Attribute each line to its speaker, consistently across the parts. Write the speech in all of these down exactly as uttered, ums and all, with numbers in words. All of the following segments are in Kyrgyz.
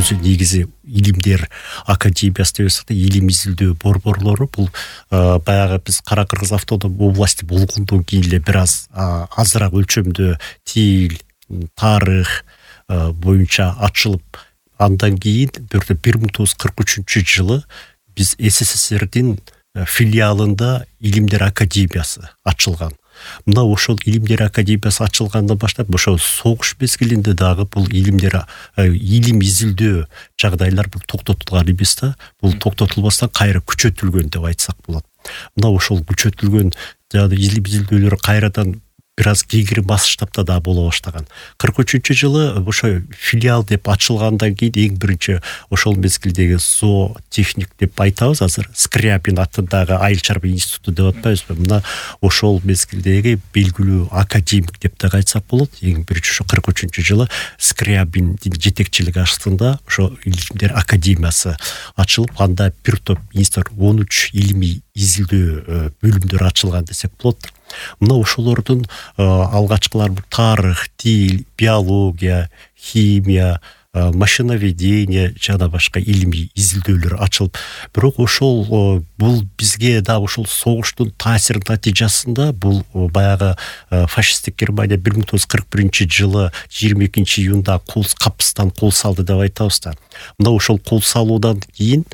Speaker 1: өзү негизи илимдер академиясы деп атсак да, илим изилдөө борборлору бул баягы биз Кара Кыргыз автоном области болгондон кийин эле бир аз азыраак өлчөмдө тил, тарых боюнча ачылып, андан кийин бир миң тогуз жүз кырк үчүнчү жылы биз СССРдин филиалында илимдер академиясы ачылган. Мына ошол илимдер академиясы ачылгандан баштап ошол согуш мезгилинде дагы бул илимдер илим изилдөө жагдайлар бул токтотулган эмес да, бул токтотулбастан кайра күчөтүлгөн деп айтсак болот. Мына ошол күчөтүлгөн жана илим изилдөөлөр кайрадан бир аз кеңири масштабта да боло баштаган. кырк үчүнчү жылы ошо филиал деп ачылгандан кийин эң биринчи ошол мезгилдеги зоотехник деп айтабыз азыр, Скрябин атындагы айыл чарба институту деп атпайбызбы? Мына ошол мезгилдеги белгилүү академик деп да айтсак болот. Эң биринчи ошо кырк үчүнчү жылы Скрябиндин жетекчилиги астында ошо илимдер академиясы ачылып, анда бир топ институт он үч илимий изилдөө бөлүмдөр ачылган десек болот. Мына ошолордун алгачкылар тарых, тил, биология, химия, машиноведение жана башка илимий изилдөөлөр ачылып, бирок ошол бул бизге да ошол согуштун таасиринин натыйжасында бул баягы фашисттик Германия бир миң тогуз жүз кырк биринчи жылы жыйырма экинчи июнда кол капыстан кол салды деп айтабыз да. Мына ошол кол салуудан кийин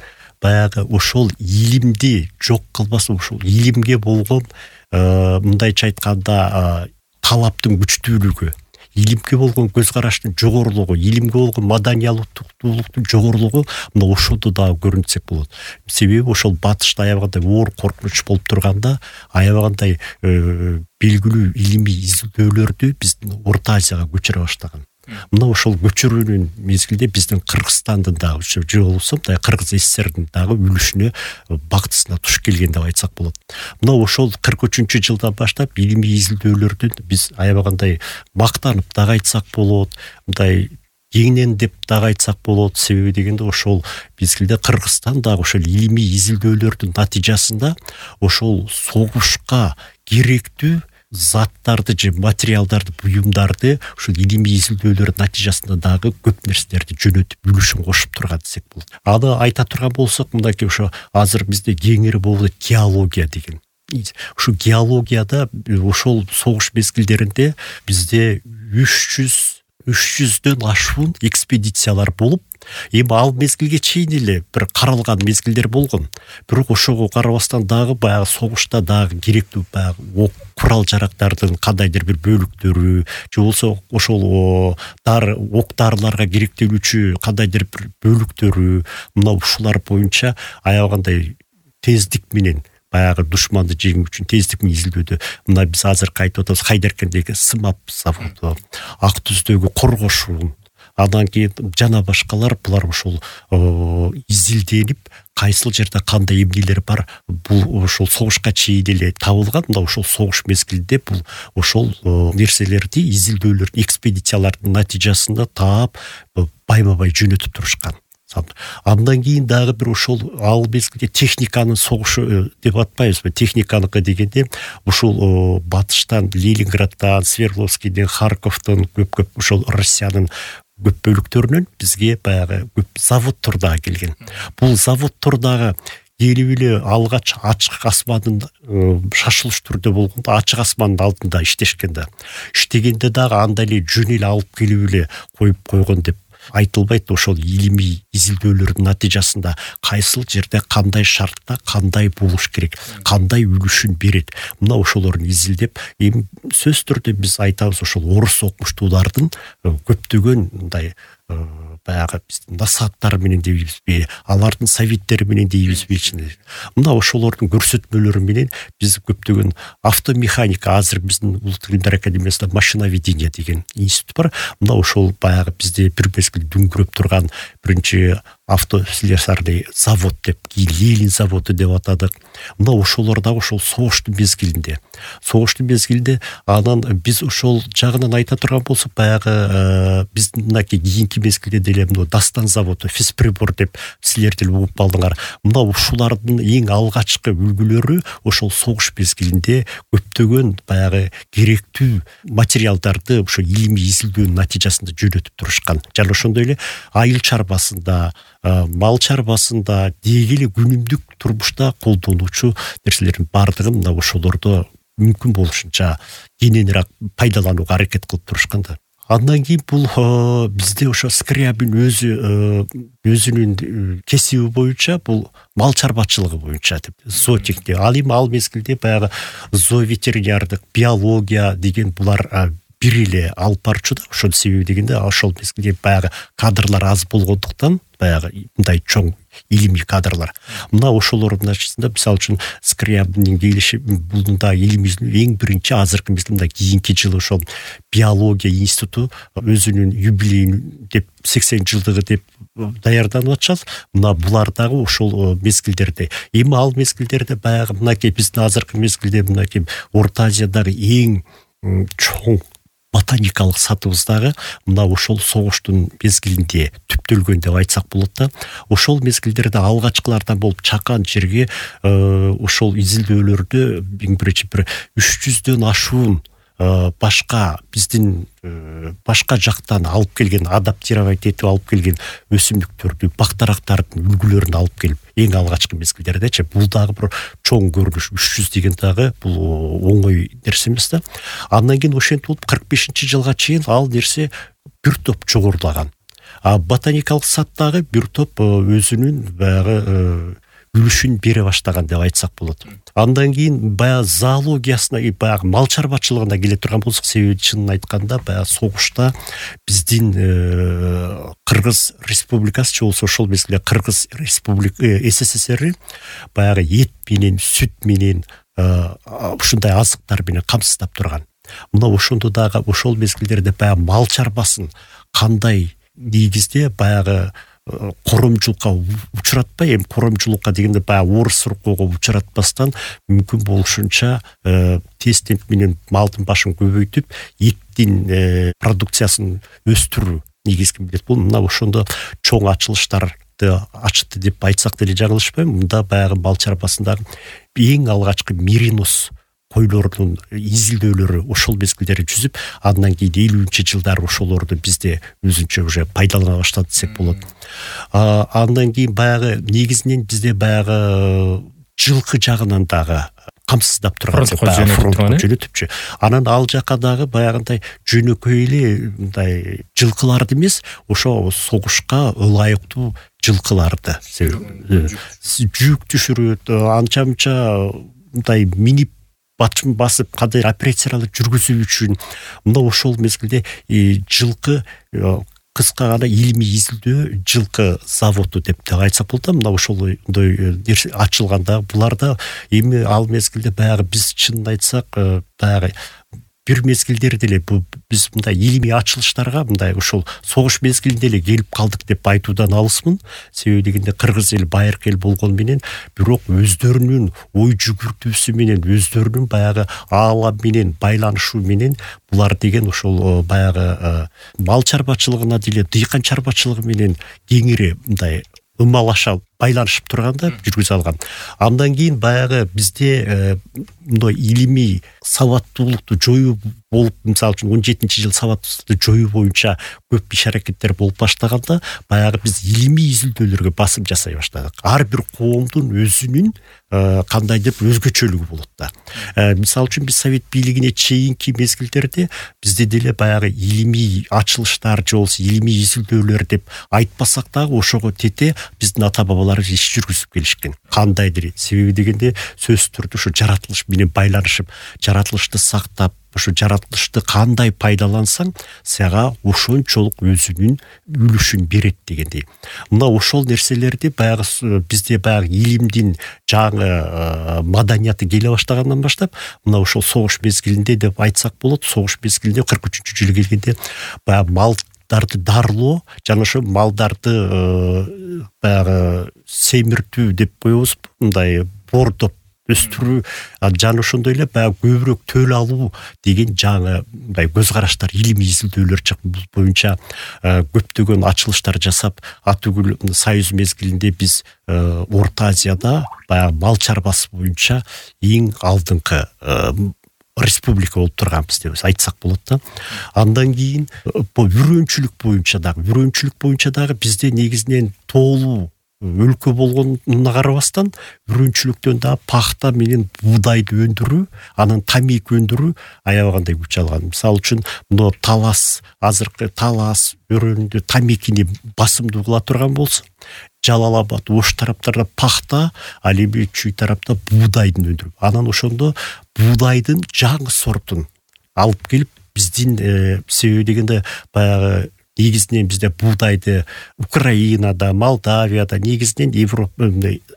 Speaker 1: баягы ошол илимди жок кылбасын, ошол илимге болгон мындайча айтканда талаптын күчтүүлүгү, илимге болгон көз караштын жогорулугу, илимге болгон маданиялуулуктун жогорулугу мына ошондо дагы көрүнсөк болот. Себеби ошол батышта аябагандай оор коркунуч болуп турганда, аябагандай белгилүү илимий изилдөөлөрдү биздин Орто Азияга көчүрө баштаган. Мына ошол көчүрүүнүн мезгилде биздин Кыргызстандын дагы же болбосо Кыргыз ССРдин дагы үлүшүнө бактысына туш келген деп айтсак болот. Мына ошол кырк үчүнчү жылдан баштап илимий изилдөөлөрдүн биз аябагандай мактанып дагы айтсак болот, мындай кеңинен деп дагы айтсак болот. Себеби дегенде ошол мезгилде Кыргызстан дагы ошол илимий изилдөөлөрдүн натыйжасында ошол согушка керектүү заттарды же материалдарды, буюмдарды ушул илимий изилдөөлөр натыйжасында дагы көп нерселерди жөнөтүп үлүшүн кошуп турган десек болот. Аны айта турган болсок, мындаки ошо азыр бизде кеңири болуп геология деген. Ушу геологияда ошол согуш мезгилдеринде бизде үч жүздөн ашуун экспедициялар болуп, эми ал мезгилге чейин эле бир каралган мезгилдер болгон. Бирок ошого карабастан дагы баягы согушта дагы керектүү баягы ок курал жарактардын кандайдыр бир бөлүктөрү же болбосо ошол дары ок дарыларга керектелүүчү кандайдыр бир бөлүктөрү, мына ушулар боюнча аябагандай тездик менен баягы душманды жеңүү үчүн тездик менен изилдөөдө мына биз азыр айтып атабыз Хайдаркендеги сымап заводу, Ак Түздөгү коргошун, андан кийин жана башкалар булар ошол изилденип, кайсыл жерде кандай эмнелер бар, бул ошол согушка чейин эле табылган. Мына ошол согуш мезгилинде бул ошол нерселерди изилдөөлөрдүн, экспедициялардын натыйжасында таап байма-бай жөнөтүп турушкан. Андан кийин дагы бир ошол ал мезгилде техниканын согушу деп атпайбызбы? Техниканыкы дегенде ушул батыштан, Ленинграддан, Свердловскийден, Харьковдон көп-көп ошол Россиянын көп бөлүктөрүнөн бизге баягы көп заводдор дагы келген. Бул заводдор дагы келип эле алгач ачык асмандын шашылыш түрдө болгондо ачык асмандын алдында иштешкен да. Иштегенде дагы анда эле жөн эле алып келип эле коюп койгон деп айтылбайт. Ошол илимий изилдөөлөрдүн натыйжасында кайсыл жерде кандай шартта кандай болуш керек, кандай үлүшүн берет, мына ошолорун изилдеп, эми сөзсүз түрдө биз айтабыз ошол орус окумуштуулардын көптөгөн мындай баягы биздин насааттары менен дейбизби, алардын советтери менен дейбизби, мына ошолордун көрсөтмөлөрү менен биз көптөгөн автомеханика, азыр биздин Улуттук илимдер академиясында машиноведение деген институт бар. Мына ошол баягы бизде бир мезгил дүңгүрөп турган биринчи автослесарный завод деп, Ленин заводу деп атадык. Мына ошолор дагы ошол согуштун мезгилинде. Согуштун мезгилинде анан биз ошол жагынан айта турган болсок, баягы биздин мынакей кийинки мезгилде деле мына Дастан заводу, Физприбор деп силер деле угуп калдыңар. Мына ушулардын эң алгачкы үлгүлөрү ошол согуш мезгилинде көптөгөн баягы керектүү материалдарды ошо илимий изилдөөнүн натыйжасында жөнөтүп турушкан. Жана ошондой эле айыл чарбасында, мал чарбасында, деги эле күнүмдүк турмушта колдонуучу нерселердин баардыгын мына ошолордо мүмкүн болушунча кененирээк пайдаланууга аракет кылып турушкан да. Андан кийин бул бизде ошо Скрябин өзү өзүнүн кесиби боюнча бул мал чарбачылыгы боюнча деп зоотехник. Ал эми ал мезгилде баягы зооветеринардык, биология деген булар бир эле алып барчу да. Ошол себеби дегенде ошол мезгилде баягы кадрлар аз болгондуктан, баягы мындай чоң илимий кадрлар. Мына ошолордун ачысында мисалы үчүн Скрябиндин келиши булда элимиздин эң биринчи азыркы мезгилде кийинки жылы ошол биология институту өзүнүн юбилейин деп сексен жылдыгы деп даярданып атышат. Мына булар дагы ошол мезгилдерде. Эми ал мезгилдерде баягы мынакей биздин азыркы мезгилде мынакей Орто Азиядагы эң чоң ботаникалык сатыбыздагы мына ошол согуштун мезгилинде түптөлгөн деп айтсак болот да. Ошол мезгилдерде алгачкылардан болуп чакан жерге ошол изилдөөлөрдө эң биринчи бир үч жүздөн ашуун башка биздин башка жактан алып келген, адаптировать этип алып келген өсүмдүктөрдү, бактарактардын үлгүлөрүн алып келип, эң алгачкы мезгилдердечи бул дагы бир чоң көрүнүш. үч жүз деген дагы бул оңой нерсе эмес да. Андан кийин ошентип болуп кырк бешинчи жылга чейин ал нерсе бир топ жогорулаган. А ботаникалык саттагы бир топ өзүнүн баягы үлүшүн бере баштаган деп айтсак болот. Андан кийин баягы зоологиясына, баягы мал чарбачылыгына келе турган болсок, себеби чынын айтканда баягы согушта биздин Кыргыз Республикасы же болсо ошол мезгилде Кыргыз Республика СССР баягы эт менен, сүт менен, ушундай азыктар менен камсыздап турган. Мына ошондо дагы ошол мезгилдерде баягы мал чарбасын кандай негизде баягы коромчулукка учуратпай, эми коромчулукка дегенде баягы орус суркууга учуратпастан мүмкүн болушунча тез менен малдын башын көбөйтүп, эттин продукциясын өстүрүү негизги милдет. Бул мына ошондо чоң ачылыштарды ачытты деп айтсак деле жаңылышпайм. Мында баягы мал чарбасындагы эң алгачкы меринос койлордун изилдөөлөрү ошол мезгилдери жүзүп, андан кийин элүүнчү жылдары ошолорду бизде өзүнчө уже пайдалана баштады десек болот. Андан кийин баягы негизинен бизде баягы жылкы жагынан дагы камсыздап турган фронтко жөнөтүпчү. Анан ал жака дагы баягындай жөнөкөй эле мындай жылкыларды эмес, ошо согушка ылайыктуу жылкыларды жүк түшүрөт, анча-мынча мындай минип батчын басып кандай операцияларды жүргүзүү үчүн мына ошол мезгилде жылкы кыска гана илимий изилдөө жылкы заводу деп айтсак болот. Мына ошондой ачылганда буларда эми ал мезгилде баягы биз чынын айтсак баягы бир мезгилдерде эле биз мындай илимий ачылыштарга мындай ошол согуш мезгилинде эле келип калдык деп айтуудан алысмын. Себеби дегенде кыргыз эл байыркы эл болгону менен, бирок өздөрүнүн ой жүгүртүүсү менен, өздөрүнүн баягы аалам менен байланышуу менен булар деген ошол баягы мал чарбачылыгына деле дыйкан чарбачылыгы менен кеңири мындай ымалаша байланышып турганда жүргүзө алган. Андан кийин баягы бизде мындай илимий сабаттуулукту жоюу болуп, мисалы үчүн он жетинчи жыл сабаттуулукту жоюу боюнча көп иш аракеттер болуп баштаганда, баягы биз илимий изилдөөлөргө басым жасай баштадык. Ар бир коомдун өзүнүн кандайдыр өзгөчөлүгү болот да. Мисалы үчүн биз совет бийлигине чейинки мезгилдерде бизде деле баягы илимий ачылыштар же болсо илимий изилдөөлөр деп айтпасак дагы ошого тете биздин ата бабалар иш жүргүзүп келишкен. Кандайдыр себеби дегенде сөзсүз түрдө ушу жаратылыш менен байланышып, жаратылышты сактап, ошо жаратылышты кандай пайдалансаң, сага ошончолук өзүнүн үлүшүн берет дегендей. Мына ошол нерселерди баягы бизде баягы илимдин жаңы маданияты келе баштагандан баштап, мына ошол согуш мезгилинде деп айтсак болот. Согуш мезгилинде кырк үчүнчү жылы келгенде баягы мал малдарды дарылоо жана ошо малдарды баягы семиртүү деп коебузбу, мындай бордоп өстүрүү жана ошондой эле баягы көбүрөөк төл алуу деген жаңы мындай көз караштар, илимий изилдөөлөр чыгып, бул боюнча көптөгөн ачылыштар жасап, атүгүл Союз мезгилинде биз Орто Азияда баягы мал чарбасы боюнча эң алдыңкы республика болуп турганбыз деп айтсак болот да. Андан кийин үрөөнчүлүк боюнча дагы, үрөөнчүлүк боюнча дагы бизде негизинен тоолуу өлкө болгонуна карабастан үрөөнчүлүктөн дагы пахта менен буудайды өндүрүү, анан тамеки өндүрүү аябагандай күч алган. Мисалы үчүн мына Талас, азыркы Талас өрөөнүндө тамекини басымдуу кыла турган болсо, Жалал Абад, Ош тараптарда пахта, ал эми Чүй тарапта буудайдын өндүрүп, анан ошондо буудайдын жаңы сортун алып келип биздин себеби дегенде баягы негизинен бизде буудайды Украинада, Молдавияда, негизинен Европа,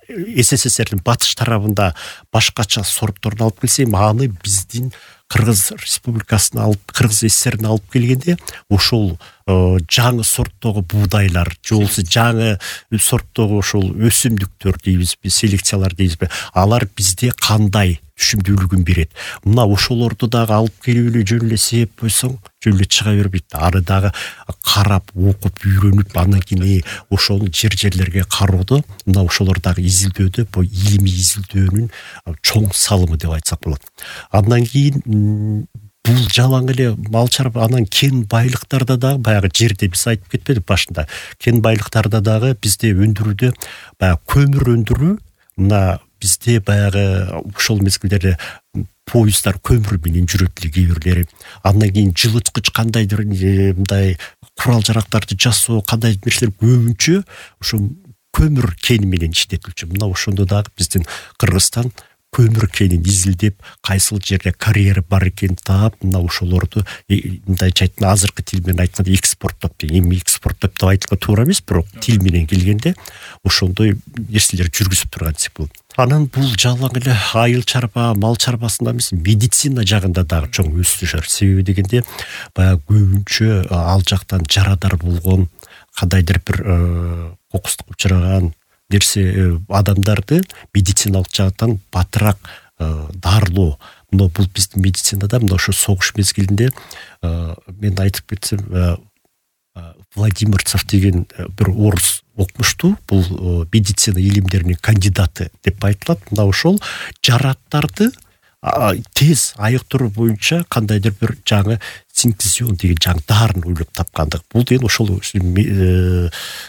Speaker 1: СССРдин батыш тарабында башкача сортторун алып келсе, аны биздин Кыргыз Республикасына алып, Кыргыз СССРине алып келгенде ошол жаңы сорттогу буудайлар, же болбосо жаңы сорттогу ошол өсүмдүктөр дейбизби, селекциялар дейбизби, алар бизде кандай түшүмдүүлүгүн берет. Мына ошолорду дагы алып келип эле жөн эле сээп койсоң, жөн эле чыга бербейт. Аны дагы карап, окуп, үйрөнүп, андан кийин ошону жер-жерлерге кароодо, мына ошолор дагы изилдөөдө, бул илимий изилдөөнүн чоң салымы деп айтсак болот. Андан кийин бул жалаң эле мал чарба, анан кен байлыктарда дагы баягы жерде биз айтып кетпедик башында. Кен байлыктарда дагы бизде өндүрүүдө баягы көмүр өндүрүү, мына бизде баягы ошол мезгилдерде поездар көмүр менен жүрөт эле кээ бирлери. Андан кийин жылыткыч кандайдыр мындай курал жарактарды жасоо, кандай нерселер көбүнчө ошо көмүр кени менен иштетилчү. Мына ошондо дагы биздин Кыргызстан көмүр кенин изилдеп, кайсыл жерде карьера бар экенин таап, мына ошолорду мындайча айтканда азыркы тил менен айтканда экспорттоп, эми экспорттоп деп айтылга туура эмес, бирок тил менен келгенде ошондой нерселер жүргүзүп турган десек болот. Анан бул жалаң эле айыл чарба, мал чарбасында эмес, медицина жагында дагы чоң өсүшөр. Себеби дегенде баягы көбүнчө ал жактан жарадар болгон, кандайдыр бир кокустукка учураган нерсе адамдарды медициналык жактан батыраак дарылоо. Мына бул биздин медицинада мына ошо согуш мезгилинде мен айтып кетсем, Владимирцев деген бир орус окумуштуу, бул медицина илимдеринин кандидаты деп айтылат. Мына ошол жараттарды тез айыктыруу боюнча кандайдыр бир жаңы синтезион деген жаңы дарын ойлоп тапкандык. Бул деген ошол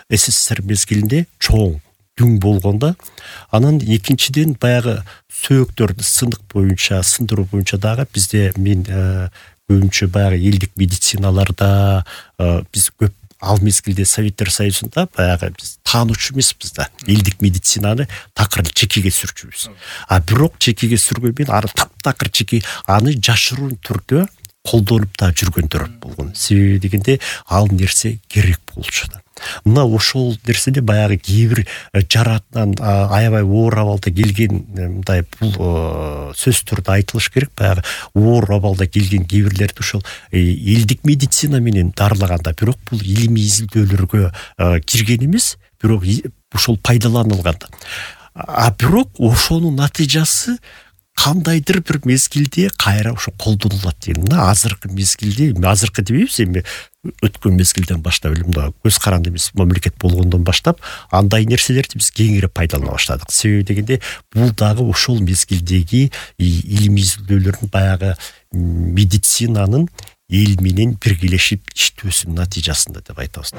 Speaker 1: СССР мезгилинде чоң дүң болгондо. Анан экинчиден баягы сөөктөрдү сындык боюнча, сындыруу боюнча дагы бизде мен көбүнчө баягы элдик медициналарда биз көп ал мезгилде Советтер Союзунда баягы биз таануучу эмеспиз да. Элдик медицинаны такыр чекеге сүрчүбүз. А бирок чекеге сүргөн мен аны таптакыр чеке, аны жашыруун түрдө колдонуп да жүргөндөр болгон. Себеби дегенде ал нерсе керек болчу да. Мына ошол нерседе баягы кээ бир жаратынан аябай оор абалда келген мындай бул сөздөрдү айтылыш керек. Баягы оор абалда келген кээ бирлерди ошол элдик медицина менен дарылаганда, бирок бул илимий изилдөөлөргө кирген эмес, бирок ошол пайдаланылган. А бирок ошонун натыйжасы кандайдыр бир мезгилде кайра ошо колдонулат деген. Мына азыркы мезгилде, азыркы дебейбиз, эми өткөн мезгилден баштап эле мына көз каранды эмес мамлекет болгондон баштап андай нерселерди биз кеңири пайдалана баштадык. Себеби дегенде бул дагы ошол мезгилдеги илимий изилдөөлөрдүн баягы медицинанын эл менен биргелешип иштөөсүнүн натыйжасында деп айтабыз.